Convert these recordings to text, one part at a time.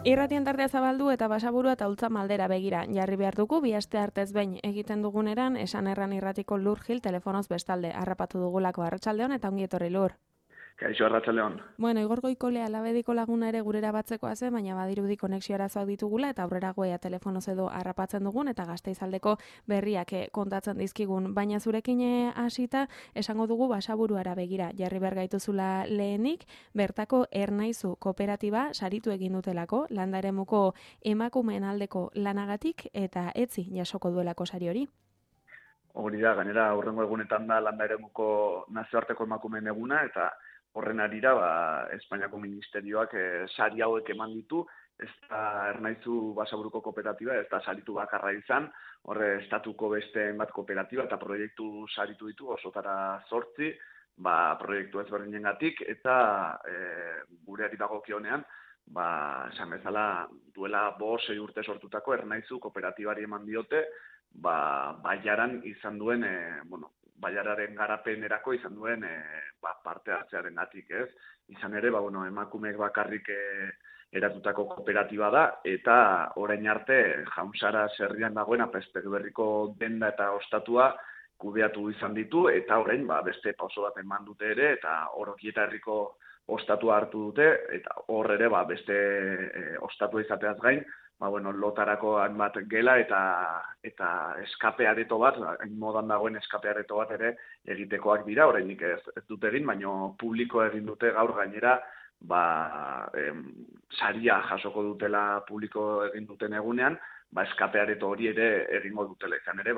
Irratien tartea zabaldu eta Basaburua eta Ultzama aldera begira jarri behar dugu, bi aste artez behin egiten duguneran, esan erran irratiko Lur Gil telefonoz bestalde harrapatu dugulako. Arratsaldeon eta ongi etorri, Lur. Kaixo, arratsaldeon. Bueno, Igor Goikolea labediko laguna ere gurera batzekoa zen, baina badirudi konexio arazoak ditugula eta aurrera goea telefonoz edo harrapatzen dugun eta Gasteizaldeko berriak kontatzen dizkigun. Baina zurekin hasita esango dugu Basaburuara begira jarri behar gaituzula lehenik, bertako Ernaizu kooperatiba saritu egin dutelako, landa eremuko emakumeen aldeko lanagatik eta etzi jasoko duelako sari hori. Hori da, gainera aurrengo egunetan da landa eremuko nazioarteko emakumeen eguna eta horren arira, Espainiako ministerioak sari hauek eman ditu, ez da Ernaizu Basaburuko kooperatiba, ez da saritu bakarra izan, horre estatuko beste bat kooperatiba eta proiektu saritu ditu, osotara 8, proiektu ezberdinengatik, eta gureari dagokionean, esan bezala duela 5-6 urte sortutako Ernaizu kooperatibari eman diote, baiaran izan duen, baiararen garapenerako izan duen parte hartzearengatik, ez? Izan ere, emakumeek bakarrik eratutako kooperatiba da, eta orain arte Jaunsara herrian dagoen Apezpegi Berriko denda eta ostatua kudeatu izan ditu, eta orain beste pauso bat eman dute ere, eta Orokieta herriko ostatua hartu dute, eta hor ere beste ostatua izateaz gain, lotarako hainbat gela eta eskape areto bat, hain modan dagoen eskape areto bat ere egitekoak dira, orainik ez dute egin, baina publiko egin dute gaur gainera, saria jasoko dutela publiko egin duten egunean, eskape areto hori ere egingo dutela izan ere,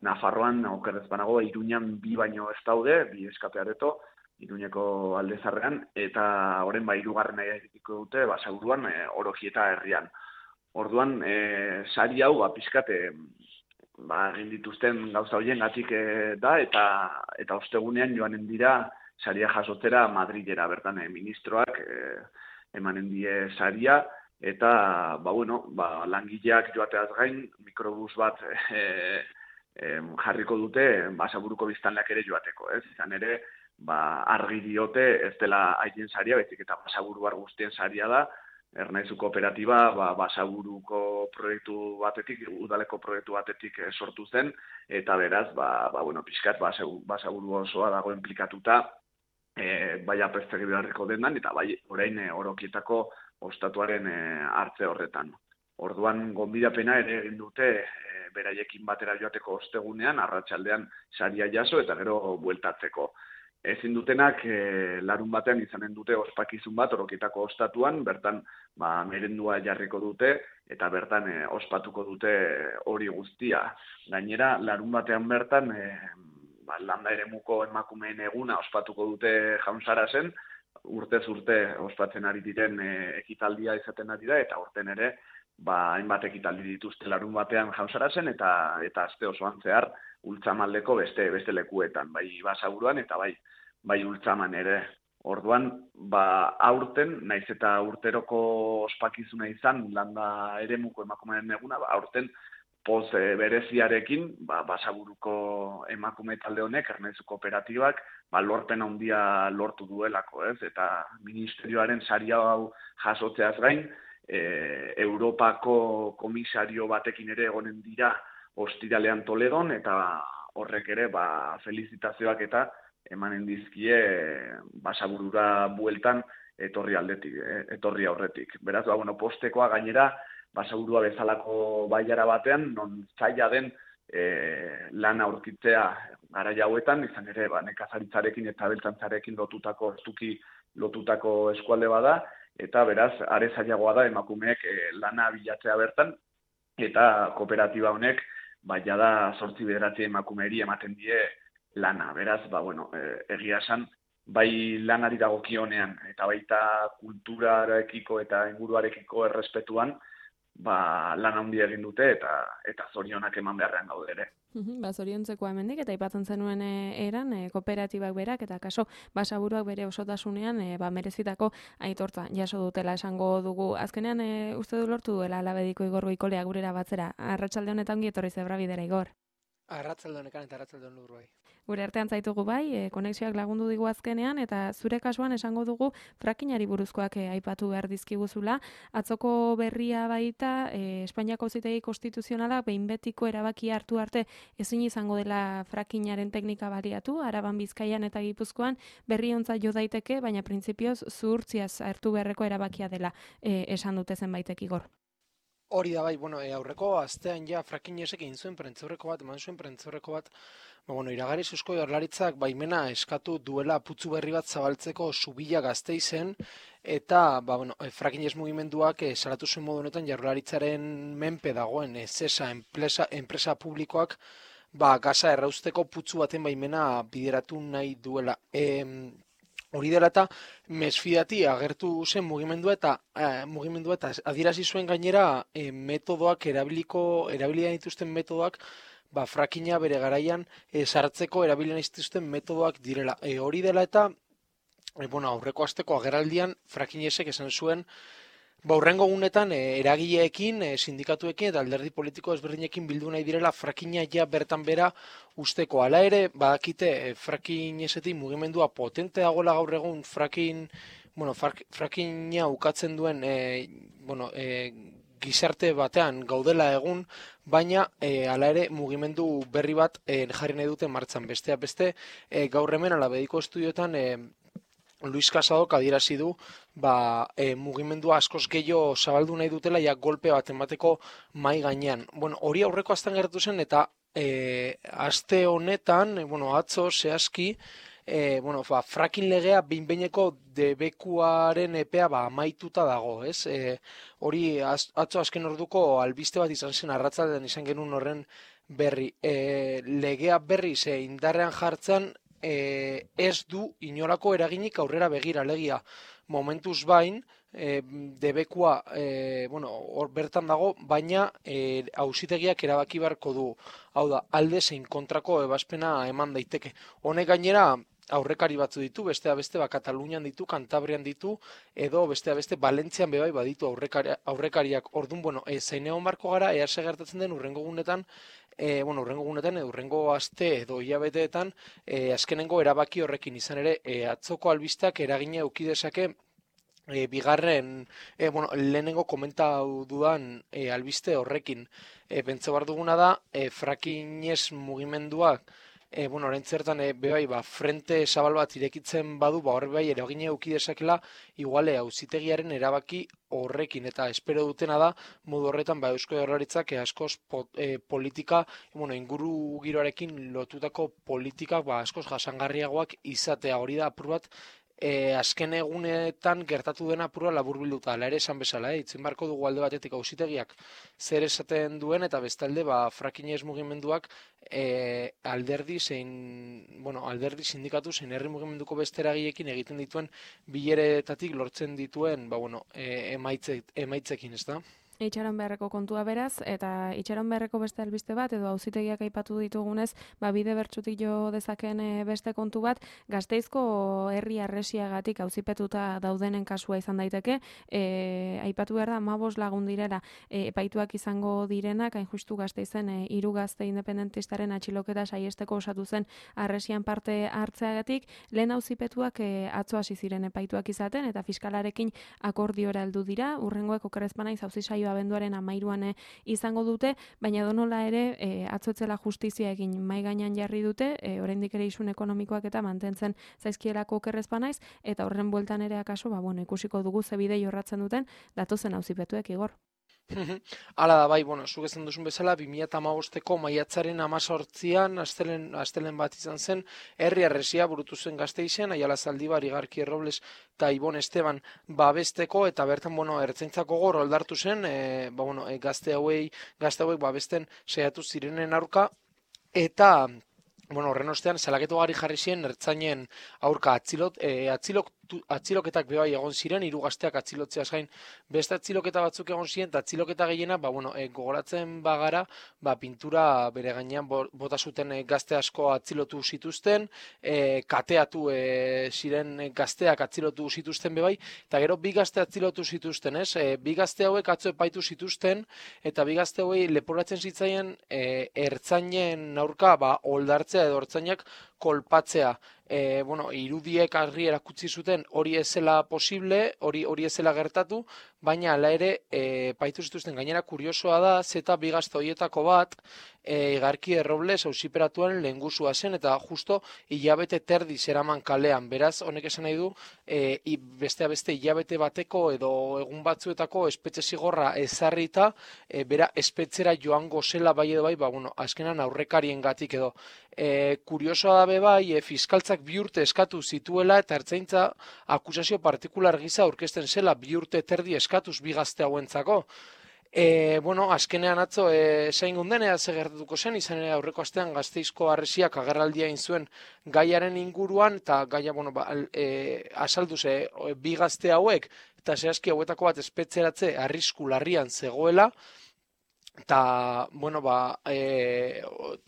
Nafarroan, okerrez banago, Iruñan 2 baino ez daude, 2 eskape areto, Iruñeko aldezarrean, eta horren 3. egiteko dute, Basaburuan, Orokieta herrian. Orduan, sari hau, pixkat, egin dituzten gauza horiengatik da, eta ostegunean joanen dira saria jasotzera Madrilera, bertan ministroak emanen die saria, eta, langileak joateaz gain, mikrobus bat jarriko dute Basaburuko biztanleak ere joateko, ez? Izan ere, argi diote ez dela haien saria, baizik eta Basaburuar guztien saria da, Ernaizu kooperatiba Basaburuko proiektu batetik, udaleko proiektu batetik sortu zen, eta beraz, pixkat Basaburu osoa dago implikatuta, bai Apezpegi Berriko dendan, eta bai orain Orokietako ostatuaren hartze horretan. Orduan, gonbidapena ere egin dute beraiekin batera joateko ostegunean, arratsaldean saria jaso eta gero bueltatzeko. Ezin dutenak larun batean izanen dute ospakizun bat Orokietako ostatuan, bertan merendua jarriko dute eta bertan ospatuko dute hori guztia. Gainera, larun batean bertan landa eremuko emakumeen eguna ospatuko dute Jaunsarasen, urtez urte ospatzen ari diren ekitaldia izaten ari da, eta urten ere hainbat ekitaldi dituzte larun batean Jaunsarasen eta aste osoan zehar Ultzamaldeko beste lekuetan, bai Basaburuan eta bai Ultzaman ere. Orduan, aurten, naiz eta urteroko ospakizuna izan landa eremuko emakumeen eguna, aurten poz bereziarekin, Basaburuko emakume talde honek, Ernaizu kooperatibak, lorpen handia lortu duelako, ez? Eta ministerioaren saria hau jasotzeaz gain, Europako komisario batekin ere egonen dira ostiralean Toledon, eta horrek ere felizitazioak eta emanen dizkie Basaburura bueltan etorri aurretik. Beraz, postekoa gainera Basaburua bezalako baiara batean, non zaila den lana aurkitzea garai hauetan, izan ere nekazaritzarekin eta abeltzantzarekin lotutako eskualde bada, eta beraz, are zailagoa da emakumeek lana bilatzea bertan, eta kooperatiba honek jada 8-9 emakumeeri ematen die lana. Beraz, egia esan, bai lanari dagokionean eta baita kulturarekiko eta inguruarekiko errespetuan, lan handia egin dute eta zorionak eman beharrean gaude ere. Zoriontzeko hemendik eta aipatzen zenuen eran kooperatibak berak eta kaso Basaburuak bere osotasunean merezitako aitortza jaso dutela esango dugu. Azkenean uste du lortu duela labediko Igor Goikolea gurera batzera. Arratsalde honetan ongi etorri Zebrabidera, Igor. Arratsaldeon ekan eta arratsaldeon lur bai. Gure artean zaitugu bai, konexioak lagundu digu azkenean, eta zure kasuan esango dugu frakinari buruzkoak aipatu behar dizkiguzula. Atzoko berria baita, Espainiako Auzitegi Konstituzionala behin betiko erabakia hartu arte ezin izango dela frakinaren teknika baliatu, Araban, Bizkaian eta Gipuzkoan berriontza jo daiteke, baina printzipioz zuhurtziaz hartu beharreko erabakia dela esan dute zenbaitek Igor. Hori da bai, aurreko astean ja frakinesek egin zuen eman zuen prentzaurreko bat, iragarri Eusko Jaurlaritzak baimena eskatu duela putzu berri bat zabaltzeko Zubila Gasteizen, eta frakines mugimenduak salatu zuen modu honetan Jaurlaritzaren menpe dagoen Sesa enpresa publikoak gaza errausteko putzu baten baimena bideratu nahi duela. Hori dela eta mesfidati agertu zen mugimendua eta adierazi zuen gainera metodoak erabilian dituzten metodoak frakina bere garaian sartzeko erabilian dituzten metodoak direla. Hori dela eta aurreko asteko agerraldian frakinesek esan zuen hurrengo gunetan eragileekin, sindikatuekin eta alderdi politiko ezberdinekin bildu nahi direla frakina ja bertan bera usteko. Hala ere, badakite frakinesetik mugimendua potente dagoela gaur egun frakina ukatzen duen gizarte batean gaudela egun, baina hala ere mugimendu berri bat jarri nahi dute martxan. Besteak beste, gaur hemen Alabediko estudioetan Luis Casadok adierazi du mugimendua askoz gehiago zabaldu nahi dutela golpe bat emateko mai gainean. Hori aurreko astean gertatu zen eta aste honetan, atzo zehazki, frakin legea behin-behineko debekuaren epea amaituta dago, ez? Hori atzo azken orduko albiste bat izan zen arratsaldean izan genuen horren berri. Legea berri indarrean jartzen ez du inolako eraginik aurrera begira, alegia momentuz bain debekua hor bertan dago, baina auzitegiak erabaki beharko du. Hau da, alde zein kontrako ebazpena eman daiteke. Honek gainera aurrekari batzu ditu, besteak beste Katalunian ditu, Kantabrian ditu, edo besteak beste Valentzian bebai baditu aurrekariak. Ordun, zein egon barko gara, ea gertatzen den hurrengo gunetan, hurrengo aste edo hilabeteetan azkenengo erabaki horrekin izan ere atzoko albisteak eragina eduki dezake bigarren lehenengo komentatu dudan albiste horrekin. Pentsa behar duguna da frakinez mugimenduak orain zertan frente zabal bat irekitzen badu, horre bai eragina eduki dezakela iguale auzitegiaren erabaki horrekin, eta espero dutena da modu horretan Eusko Jaurlaritzak askoz politika, inguru giroarekin lotutako politikak askoz jasangarriagoak izatea. Hori da apur bat azken egunetan gertatu dena apurua laburbilduta. Hala ere esan bezala, itzen barko dugu alde batetik auzitegiak zer esaten duen, eta bestalde frakinez mugimenduak alderdi sindikatu zein herri mugimenduko beste eragileekin egiten dituen bileretatik lortzen dituen emaitzekin, ez da? Itxaron beharreko kontua beraz, eta itxaron beharreko beste albiste bat, edo auzitegiak aipatu ditugunez, bide bertsutik jo dezaken beste kontu bat, Gasteizko herri arresiagatik auzipetuta daudenen kasua izan daiteke, aipatu behar da, 15 lagun direla epaituak izango direnak, hain justu Gasteizen 3 gazte independentistaren atxiloketa saiesteko osatu zen arresian parte hartzeagatik, lehen auzipetuak atzo hasi ziren epaituak izaten, eta fiskalarekin akordiora heldu dira, hurrengoek okerrezpanaiz auzi saioa abenduaren 13an izango dute, baina donola ere atzotzela justizia egin mai gainean jarri dute, oraindik ere isun ekonomikoak eta mantentzen zaizkielako okerrezpanaiz, eta horren bueltan ere akaso, ikusiko dugu ze bide jorratzen duten datozen auzipetuek, Igor. Hala da, bai, zuk esan duzun bezala, 2015ko maiatzaren 18an, astelen bat izan zen, herri arresia burutu zen Gasteizen, Aiala Zaldibar, Igarki Robles eta Ibon Esteban babesteko, eta bertan, ertzaintzako gor oldartu zen, gazte hauek babesten saiatu zirenen aurka, eta horren ostean, salaketu gari jarri ziren ertzainen aurka atziloketak bebai egon ziren, 3 gazteak atzilotzeaz gain beste atziloketa batzuk egon ziren, eta atziloketa gehiena, gogoratzen bagara, pintura bere gainean bota zuten gazte asko atzilotu zituzten, kateatu ziren gazteak atzilotu zituzten bebai, eta gero 2 gazte atzilotu zituzten, ez? 2 gazte hauek atzo epaitu zituzten, eta 2 gazte hauei leporatzen zitzaien ertzainen aurka oldartzea edo ertzainak kolpatzea. Irudiek argi erakutsi zuten hori ez zela posible, hori ez zela gertatu, baina hala ere epaitu zituzten. Gainera kuriosoa da, zeta 2 gazte horietako bat Igarki Errobles auziperatuan lehengusua zen, eta justo hilabete terdi zeraman kalean. Beraz, honek esan nahi du, beste hilabete bateko edo egun batzuetako espetxe zigorra ezarrita, bera espetzera joango zela bai edo bai, azkenan aurrekarien gatik edo. Kuriosoa da bai, fiskaltzak 2 urte eskatu zituela, eta ertzaintza akusazio partikular gisa aurkezten zela 2 urte terdi eskatuz 2 gazte hauentzako. Azkenean atzo zain gunden ea gertatuko zen, izan ere aurreko astean Gasteizko Harresiak agerraldia egin zuen gaiaren inguruan, eta gaia azaldu ze 2 gazte hauek, eta zehazki hauetako bat espetzeratze arrisku larrian zegoela, eta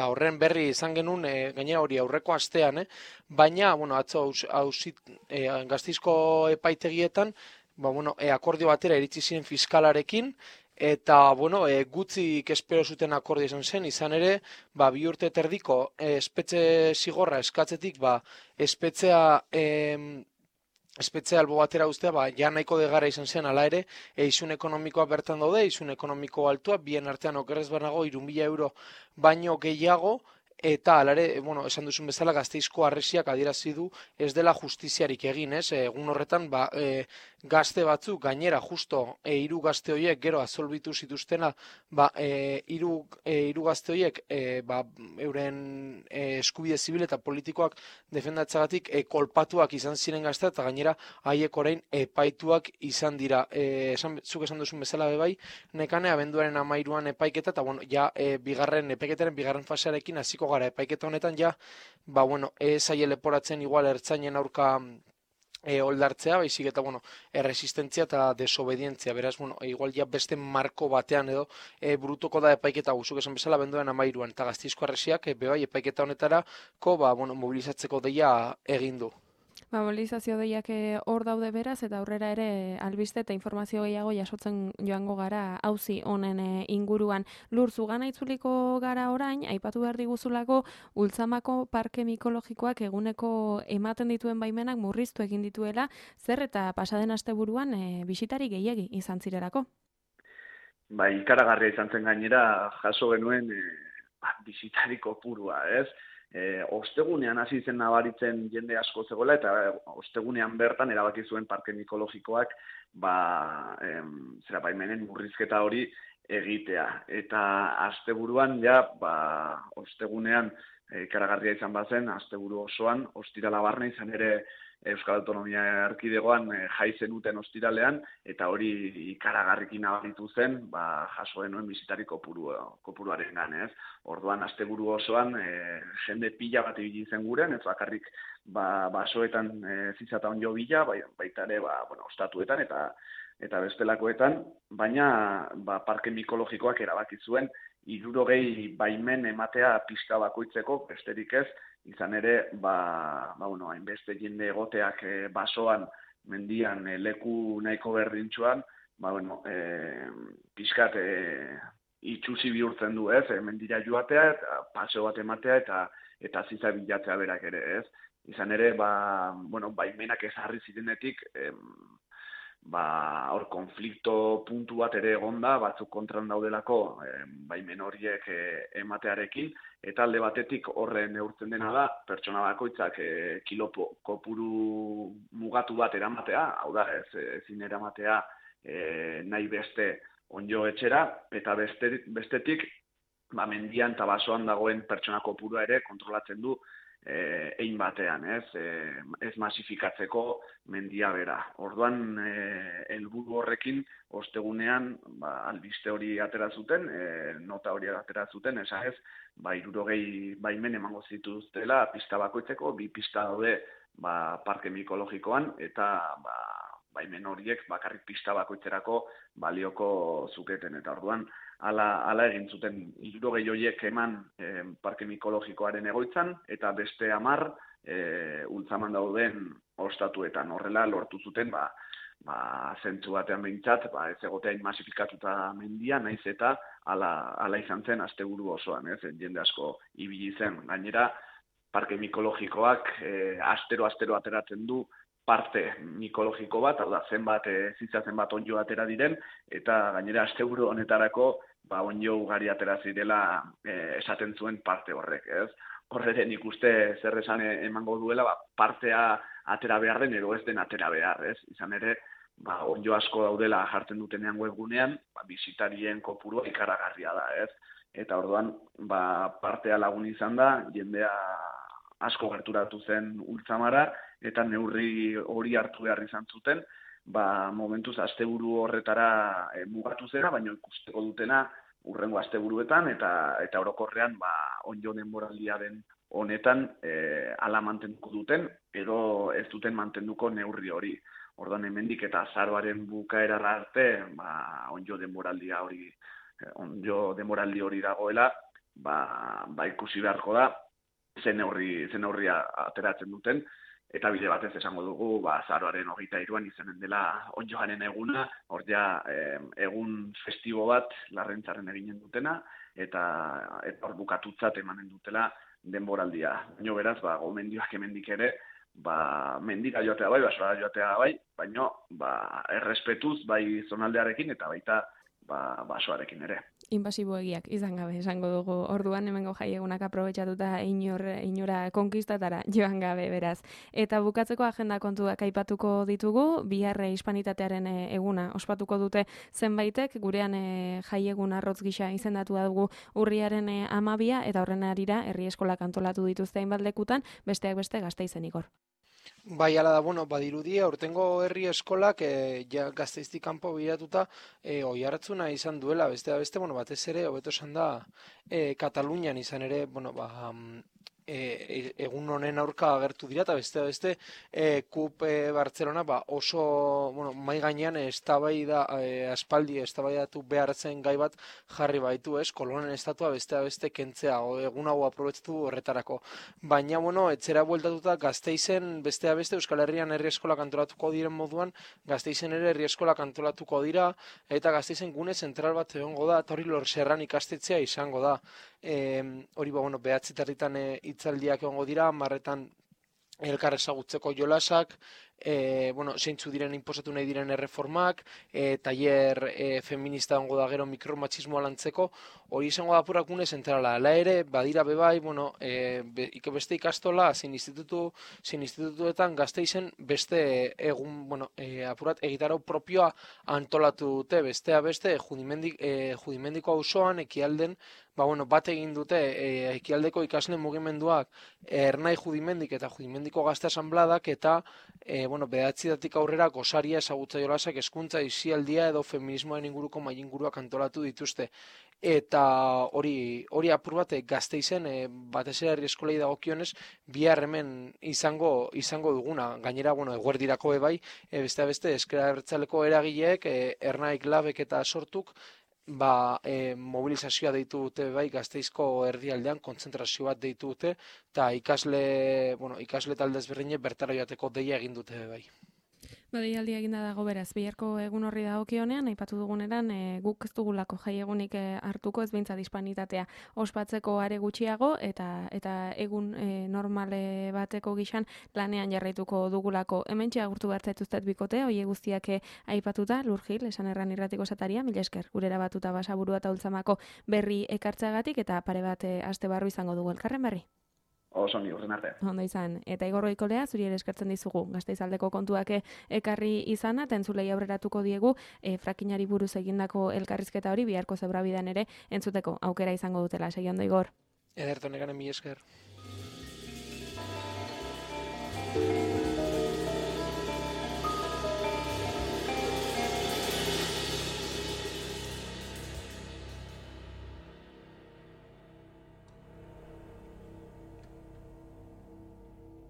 horren berri izan genuen, gainera hori aurreko astean, baina atzo Gasteizko epaitegietan akordio batera iritsi ziren fiskalarekin, eta gutxik espero zuten akordio izan ere, 2 urte terdiko espetxe zigorra eskatzetik, espetxea albo batera ustea, ja nahiko degara izan zen, ala ere, isun ekonomikoa bertan daude, isun ekonomiko altua, bien artean okerrez banago 3.000 euro baino gehiago, eta alare, esan duzun bezala Gasteizko Harresiak adierazi du ez dela justiziarik egin, ez? Egun horretan, gazte batzuk, gainera, justo, 3 gazte horiek gero azolbitu zituztena, 3 gazte horiek, euren eskubide zibil eta politikoak defendatzagatik kolpatuak izan ziren gazte, eta gainera, haiek orain epaituak izan dira. Zuk esan duzun bezala bebai, nekane, abenduaren 13an epaiketa, eta bigarren epaiketaren, bigarren fasearekin hasiko gara epaiketa honetan, ez zaie leporatzen igual ertzainen aurka oldartzea, baizik eta, erresistentzia eta desobedientzia, beraz, igual beste marko batean edo burutuko da epaiketa guzuk esan bezala abenduaren 13an, eta Gasteizko Harresiak bebai epaiketa honetarako mobilizatzeko deia egin du. Mobilizazio deiak hor daude beraz, eta aurrera ere albiste eta informazio gehiago jasotzen joango gara auzi honen inguruan. Lur, zugana itzuliko gara orain, aipatu behar diguzulako Ultzamako parke mikologikoak eguneko ematen dituen baimenak murriztu egin dituela, zer eta pasaden asteburuan bisitari gehiegi izan zirelako? Ikaragarria izan zen gainera, jaso genuen bisitari kopurua, ez? Ostegunean hasi zen nabaritzen jende asko zegoela, eta ostegunean bertan erabaki zuen parke mikologikoak baimenen murrizketa hori egitea. Eta asteburuan ostegunean ikaragarria izan bazen, asteburu osoan, ostirala barne izan ere Euskal Autonomia Erkidegoan jai zenuten ostiralean, eta hori ikaragarrikin nabaritu zen, jaso denuen bisitari kopuruaren ganez. Orduan, asteburu osoan, jende pila bat ibili zen guren, ez bakarrik basoetan zizata onjo bila, baita ere, ostatuetan eta bestelakoetan, baina parke mikologikoak erabaki zuen 60 baimen ematea pista bakoitzeko, besterik ez, izan ere, hainbeste jende egoteak basoan, mendian, leku nahiko berdintxuan, pixkat itxusi bihurtzen du, ez, mendira joatea, eta paseo bat ematea, eta ziza bilatzea berak ere, ez. Izan ere, baimenak ezarri zirenetik, hor konflikto puntu bat ere egonda, batzuk kontran daudelako baimen horiek ematearekin, eta alde batetik horren neurtzen dena da, pertsona bakoitzak kilo kopuru mugatu bat eramatea, hau da, ezin eramatea nahi beste onjo etxera, eta bestetik, mendian eta basoan dagoen pertsona kopurua ere kontrolatzen du egin batean, ez masifikatzeko mendia bera. Orduan, helburu horrekin, ostegunean, albiste hori atera zuten, nota hori atera zuten, esanez, 60 baimen emango zituztela pista bakoitzeko, 2 pista daude parke mikologikoan, eta baimen horiek bakarrik pista bakoitzerako balioko zuketen. Eta orduan, hala egin zuten 60 horiek eman parke mikologikoaren egoitzan, eta beste 10 ultzaman dauden ostatuetan. Horrela lortu zuten, zentzu batean behintzat, ez egotea masifikatuta mendia, naiz eta hala izan zen asteburu osoan, jende asko ibili zen. Gainera, parke mikologikoak astero ateratzen du parte mikologiko bat, hau da, zenbat onddo atera diren, eta gainera asteburu honetarako onddo ugari atera zirela esaten zuen parte horrek, ez? Horre nik uste zer esan emango duela, partea atera behar den edo ez den atera behar, ez? Izan ere, onddo asko daudela jartzen dutenean webgunean, bisitarien kopurua ikaragarria da, ez? Eta orduan, partea lagun izan da, jendea asko gerturatu zen ultzamara, eta neurri hori hartu behar izan zuten, momentuz asteburu horretara mugatu zera, baina ikusteko dutena urrengo asteburuetan, eta orokorrean onddo denboraldia den honetan hala mantenduko duten, edo ez duten mantenduko neurri hori. Orduan hemendik eta azaroaren bukaerara arte, onddo denboraldi hori dagoela, ikusi beharko da, zen neurria ateratzen duten, eta bide batez esango dugu, azaroaren 23an izanen dela onddoaren eguna, hor egun festibo bat Larrentzaren eginen dutena, eta hor bukatutzat emanen dutela denboraldia. Baina beraz, gomendioak hemendik ere, mendira joatea bai, basora joatea bai, baina errespetuz bai zonaldearekin eta baita basoarekin ere. Inbasiboegiak izan gabe esango dugu. Orduan hemengo jaiegunak aprobetxatuta inora konkistatara joan gabe beraz. Eta bukatzeko agenda kontuak aipatuko ditugu, bihar hispanitatearen eguna ospatuko dute zenbaitek, gurean jaiegun arrotz gisa izendatu dugu urriaren 12 eta horren arira herri eskolak antolatu dituzte hainbat lekutan, besteak beste Gasteizen Igor. Bai, ala da, badirudi, aurtengo herri eskolak Gasteiztik kanpo biratuta oihartzuna izan duela, beste, batez ere, hobeto esan da, Katalunian izan ere, egun honen aurka agertu dira, eta beste, KUP Bartzelona oso, mai gainean aspaldi eztabaidatu behar zen gai bat jarri baitu, kolonen estatua beste kentzea, egun hau aprobetxatu horretarako. Baina, etzera bueltatuta Gasteizen beste Euskal Herrian herri eskolak antolatuko diren moduan, Gasteizen ere herri eskolak antolatuko dira, eta Gasteizen gune zentral bat egongo da, eta hori Lorserran ikastetzea izango da. Hori behatzitarritan hitzaldiak egongo dira, 10etan elkar ezagutzeko jolasak, zeintzu diren inposatu nahi diren erreformak, tailer feminista egongo da gero mikromachismoa lantzeko, hori izango da apurak gune zentrala. Hala ere, badira bebai, beste ikastola, zein institutuetan Gasteizen beste egun, apurat egitarau propioa antolatu dute, bestea beste, Judimendiko auzoan ekialden, bat egin dute ekialdeko ikasle mugimenduak Ernai Judimendik eta Judimendiko Gazte Asanbladak eta behatzidatik aurrera gosaria ezagutza jolasak hezkuntza isialdia edo feminismoaren inguruko mailinguruak antolatu dituzte. Eta hori apur bat Gasteizen batez ere herri eskolei dagokionez bihar hemen izango duguna. Gainera, eguerdirako bai, beste ezker abertzaleko eragileek, Ernaik Labek eta sortuk, mobilizazioa deitu dute bai Gasteizko erdialdean, kontzentrazio bat deitu dute, eta ikasle talde ezberdinek bertara joateko deia egin dute bai. Deialdia eginda dago beraz, biharko egun horri dagokionean, aipatu duguneran, guk ez dugulako jaiegunik hartuko, ez behintzat hispanitatea ospatzeko are gutxiago, eta egun normale bateko gixan lanean jarraituko dugulako. Hementxe agurtu bertzaituztet bikote, hoie guztiak aipatuta, Lur Gil, esan erran irratiko sataria, mila esker, gurera batuta Basaburua eta Ultzamako berri ekartzeagatik, eta pare bat aste barru izango dugu elkarren berri. Oso ni urren arte. Ondo izan. Eta Igor Goikolea, zuri ere eskertzen dizugu. Gasteizaldeko kontuak ekarri izana, eta entzulei aurreratuko diegu frakinari buruz egindako elkarrizketa hori biharko zebrabidean ere entzuteko aukera izango dutela. Segi ondo, Igor. Ederto negaren mila esker.